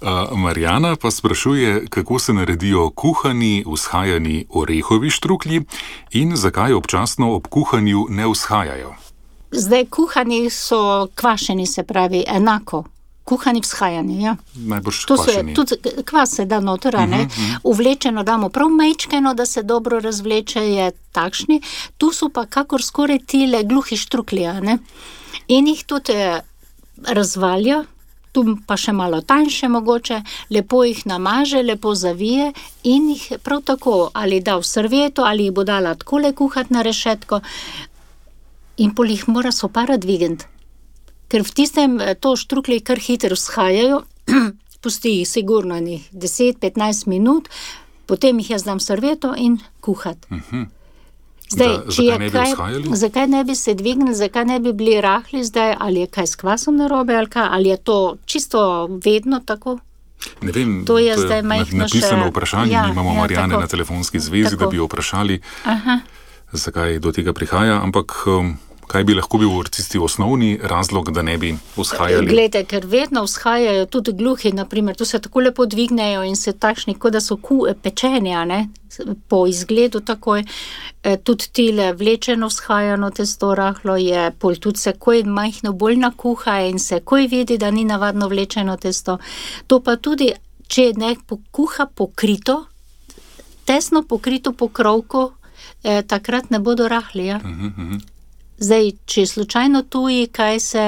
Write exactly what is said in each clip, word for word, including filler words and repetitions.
Uh, Marjana pa sprašuje, kako se naredijo kuhani, vzhajani orehovi štruklji in zakaj občasno ob kuhanju ne vzhajajo. Zdaj, kuhani so kvašeni, se pravi, enako. Kuhani vzhajani, ja. Najbrž to kvašeni. Tudi kvas se da noter, uh-huh, ne. Uh-huh. Uvlečeno damo prav majčkeno, da se dobro razvleče, je takšni. Tu so pa kakor skoraj tile gluhi štruklji, ne. In jih tudi razvalja, tu pa še malo tanjše mogoče, lepo jih namaže, lepo zavije in jih prav tako ali da v servieto, ali jih bo dala takole kuhati na rešetko in pol jih mora sopara dvigniti. Ker v tistem to štruklji kar hitro vzhajajo, pusti jih sigurno enih deset do petnajst minut, potem jih jaz dam v servieto in kuhati. Uh-huh. Zdaj, da, če zakaj je ne bi kaj, vzhajali? Zakaj ne bi se dvignili, zakaj ne bi bili rahli zdaj, ali je kaj s kvasom narobe, ali kaj, ali je to čisto vedno tako? Ne vem, to je, to je zdaj majhno napisano še... vprašanje, ja, nimamo ja, Marjane tako. na telefonski zvezi, Tako. da bi jo vprašali, Aha. zakaj do tega prihaja, ampak um, kaj bi lahko bil tisti osnovni razlog, da ne bi vzhajali? Glejte, ker vedno vzhajajo tudi gluhi, naprimer, tu se tako lepo dvignejo in se takšni, kot da so ku, pečeni, a ne, po izgledu takoj, e, tudi tile vlečeno vzhajano testo rahlo je, pol tudi se koj majhno bolj nakuha in se koj vidi, da ni navadno vlečeno testo. To pa tudi, če ne pokuha pokrito, tesno pokrito pokrovko, e, takrat ne bodo rahli, ja. Uh-huh, uh-huh. Zdaj, če slučajno tuji, kaj se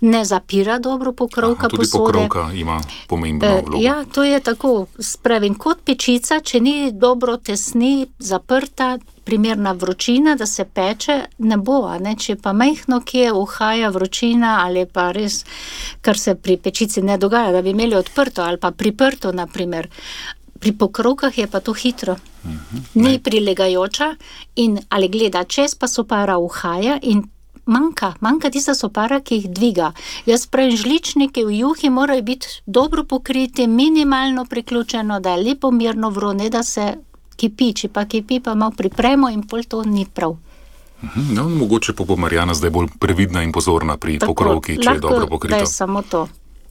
ne zapira dobro pokrovka Aha, tudi posode. pokrovka ima pomembno vlogo. Ja, to je tako, spravim, kot pečica, če ni dobro tesni, zaprta, primerna vročina, da se peče, ne bo, a ne, če pa majhno kje uhaja vročina ali pa res, kar se pri pečici ne dogaja, da bi imeli odprto ali pa priprto, naprimer. Pri pokrovkah je pa to hitro. Uh-huh. Ni prilegajoča in ali gleda čez, pa sopara uhaja in manjka, manjka tista sopara, ki jih dviga. Jaz pravim, žličniki v juhi morajo biti dobro pokriti, minimalno priključeno, da je lepo mirno vro, ne da se kipi, če pa kipi, pa malo pripremo in pol to ni prav. Uh-huh. No, mogoče pa bo Marjana zdaj bolj previdna in pozorna pri Tako, pokrovki, če je dobro lahko, pokrito. da je samo to.